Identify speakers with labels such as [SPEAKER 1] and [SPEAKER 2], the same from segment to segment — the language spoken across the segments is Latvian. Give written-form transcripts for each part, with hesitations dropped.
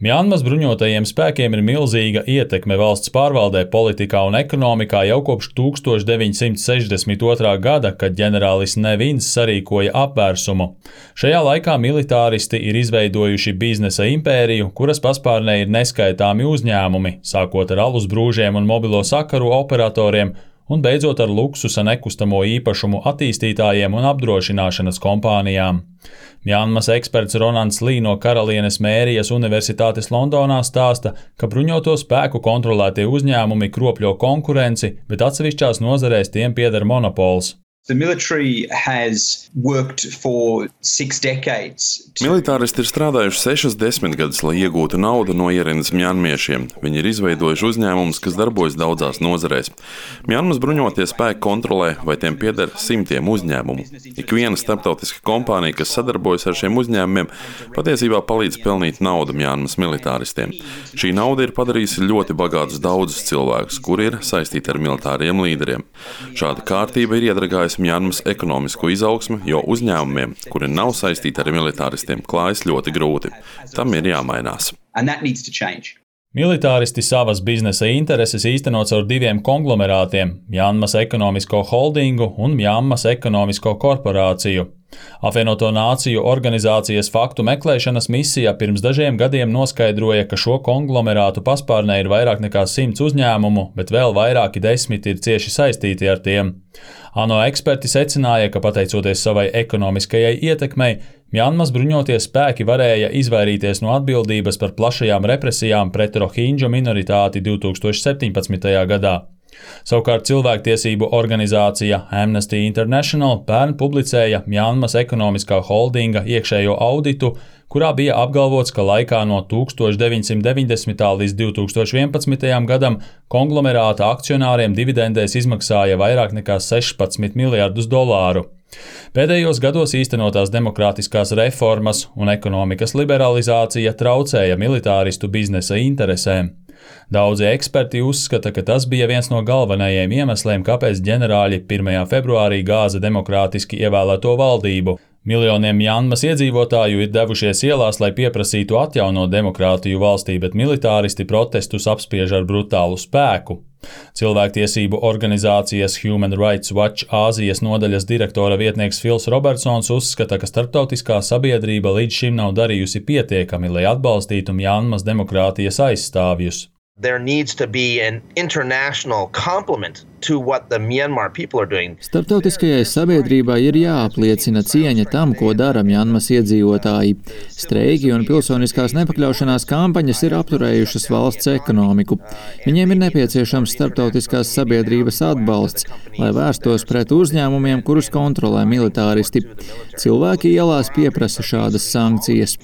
[SPEAKER 1] Mjanmas bruņotajiem spēkiem ir milzīga ietekme valsts pārvaldē, politikā un ekonomikā jau kopš 1962. gada, kad ģenerālis Ne Vins sarīkoja apvērsumu. Šajā laikā militāristi ir izveidojuši biznesa impēriju, kuras paspārnē ir neskaitāmi uzņēmumi, sākot ar alus brūžiem un mobilo sakaru operatoriem, un beidzot ar luksusa nekustamo īpašumu attīstītājiem un apdrošināšanas kompānijām. Mjanmas eksperts Ronalds Lī no Karalienes Mērijas Universitātes Londonā stāsta, ka bruņoto spēku kontrolētie uzņēmumi kropļo konkurenci, bet atsevišķās nozarēs tiem pieder monopols.
[SPEAKER 2] Militāristi ir strādājuši 6 desmitgadus, lai iegūtu naudu no ierindas mjanmiešiem. Viņi ir izveidojuši uzņēmumus, kas darbojas daudzās nozarēs. Mjanmas bruņotie spēki kontrolē, vai tiem pieder simtiem uzņēmumu. Ikviena starptautiska kompānija, kas sadarbojas ar šiem uzņēmumiem, patiesībā palīdz pelnīt naudu Mjanmas militāristiem. Šī nauda ir padarījusi ļoti bagātus daudzus cilvēkus, kuri ir saistīti ar militāriem līderiem. Šāda kārtība ir iedragājusi Mjanmas ekonomisko izaugsmi, jo uzņēmumiem, kuri nav saistīti ar militāristiem, klājas ļoti grūti. Tam ir jāmainās.
[SPEAKER 1] Militāristi savas biznesa intereses īsteno caur 2 konglomerātiem – Mjanmas ekonomisko holdingu un Mjanmas ekonomisko korporāciju. Apvienoto Nāciju organizācijas faktu meklēšanas misija pirms dažiem gadiem noskaidroja, ka šo konglomerātu paspārnē ir vairāk nekā 100 uzņēmumu, bet vēl vairāki 10 ir cieši saistīti ar tiem. ANO eksperti secināja, ka pateicoties savai ekonomiskajai ietekmei, Mjanmas bruņotie spēki varēja izvairīties no atbildības par plašajām represijām pret rohingju minoritāti 2017. gadā. Savukārt cilvēktiesību organizācija Amnesty International pērn publicēja Mjanmas ekonomiskā holdinga iekšējo auditu, kurā bija apgalvots, ka laikā no 1990. līdz 2011. gadam konglomerāta akcionāriem dividendēs izmaksāja vairāk nekā $16 miljardus. Pēdējos gados īstenotās demokrātiskās reformas un ekonomikas liberalizācija traucēja militāristu biznesa interesēm. Daudzi eksperti uzskata, ka tas bija viens no galvenajiem iemesliem, kāpēc ģenerāļi 1. februārī gāza demokrātiski ievēlēto valdību. Miljoniem Mjanmas iedzīvotāju ir devušies ielās, lai pieprasītu atjaunot demokrātiju valstī, bet militāristi protestus apspiež ar brutālu spēku. Cilvēktiesību organizācijas Human Rights Watch Āzijas nodaļas direktora vietnieks Fils Robertsons uzskata, ka starptautiskā sabiedrība līdz šim nav darījusi pietiekami, lai atbalstītu Mjanmas demokrātijas aizstāvjus.
[SPEAKER 3] There needs to be an international complement to what the Myanmar people are doing.
[SPEAKER 4] Starptautiskajai sabiedrībai ir jāapliecina cieņa tam, ko dara Mjanmas iedzīvotāji. Streiki un pilsoniskās nepakļaušanās kampaņas ir apturējušas valsts ekonomiku. Viņiem ir nepieciešams starptautiskās sabiedrības atbalsts, lai vērstos pret uzņēmumiem, kurus kontrolē militāristi. Cilvēki ielās pieprasa šādas sankcijas.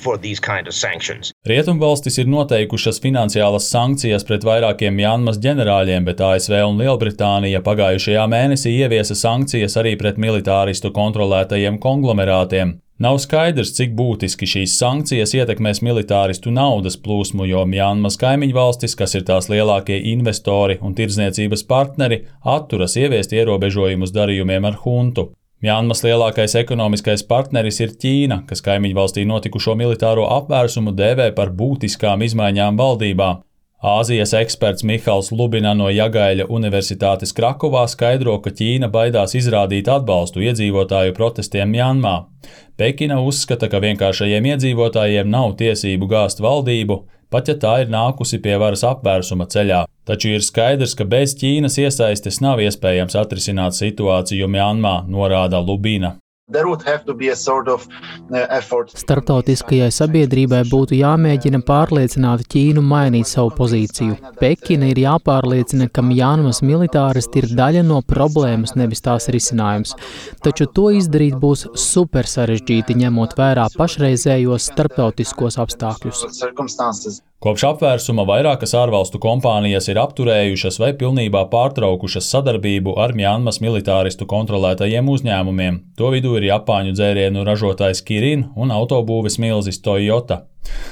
[SPEAKER 1] Rietumvalstis ir noteikušas finansiālas sankcijas pret vairākiem Mjanmas ģenerāļiem, bet ASV un Lielbritānija pagājušajā mēnesī ieviesa sankcijas arī pret militāristu kontrolētajiem konglomerātiem. Nav skaidrs, cik būtiski šīs sankcijas ietekmēs militāristu naudas plūsmu, jo Mjanmas kaimiņvalstis, kas ir tās lielākie investori un tirdzniecības partneri, atturas ieviest ierobežojumus darījumiem ar huntu. Mjanmas lielākais ekonomiskais partneris ir Ķīna, kas kaimiņvalstī notikušo militāro apvērsumu dēvē par būtiskām izmaiņām valdībā. Āzijas eksperts Mihals Lubina no Jagaļa Universitātes Krakovā skaidro, ka Ķīna baidās izrādīt atbalstu iedzīvotāju protestiem Mjanmā. Pekina uzskata, ka vienkāršajiem iedzīvotājiem nav tiesību gāzt valdību, pat ja tā ir nākusi pie varas apvērsuma ceļā. Taču ir skaidrs, ka bez Ķīnas iesaistes nav iespējams atrisināt situāciju Mjanmā, norāda Lubina.
[SPEAKER 5] Starptautiskajai sabiedrībai būtu jāmēģina pārliecināt Ķīnu mainīt savu pozīciju. Pekina ir jāpārliecina, ka Mjanmas militāristi ir daļa no problēmas, nevis tās risinājums. Taču to izdarīt būs super sarežģīti, ņemot vērā pašreizējos starptautiskos apstākļus.
[SPEAKER 1] Kopš apvērsuma vairākas ārvalstu kompānijas ir apturējušas vai pilnībā pārtraukušas sadarbību ar Mjanmas militāristu kontrolētajiem uzņēmumiem. To vidū ir Japāņu dzērienu ražotājs Kirin un autobūves milzis Toyota.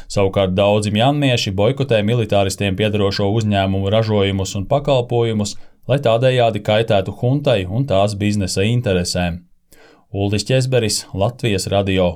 [SPEAKER 1] Savukārt daudzi mjanmieši boikotē militāristiem piederošo uzņēmumu ražojumus un pakalpojumus, lai tādējādi kaitētu huntai un tās biznesa interesēm. Uldis Ķesberis, Latvijas radio.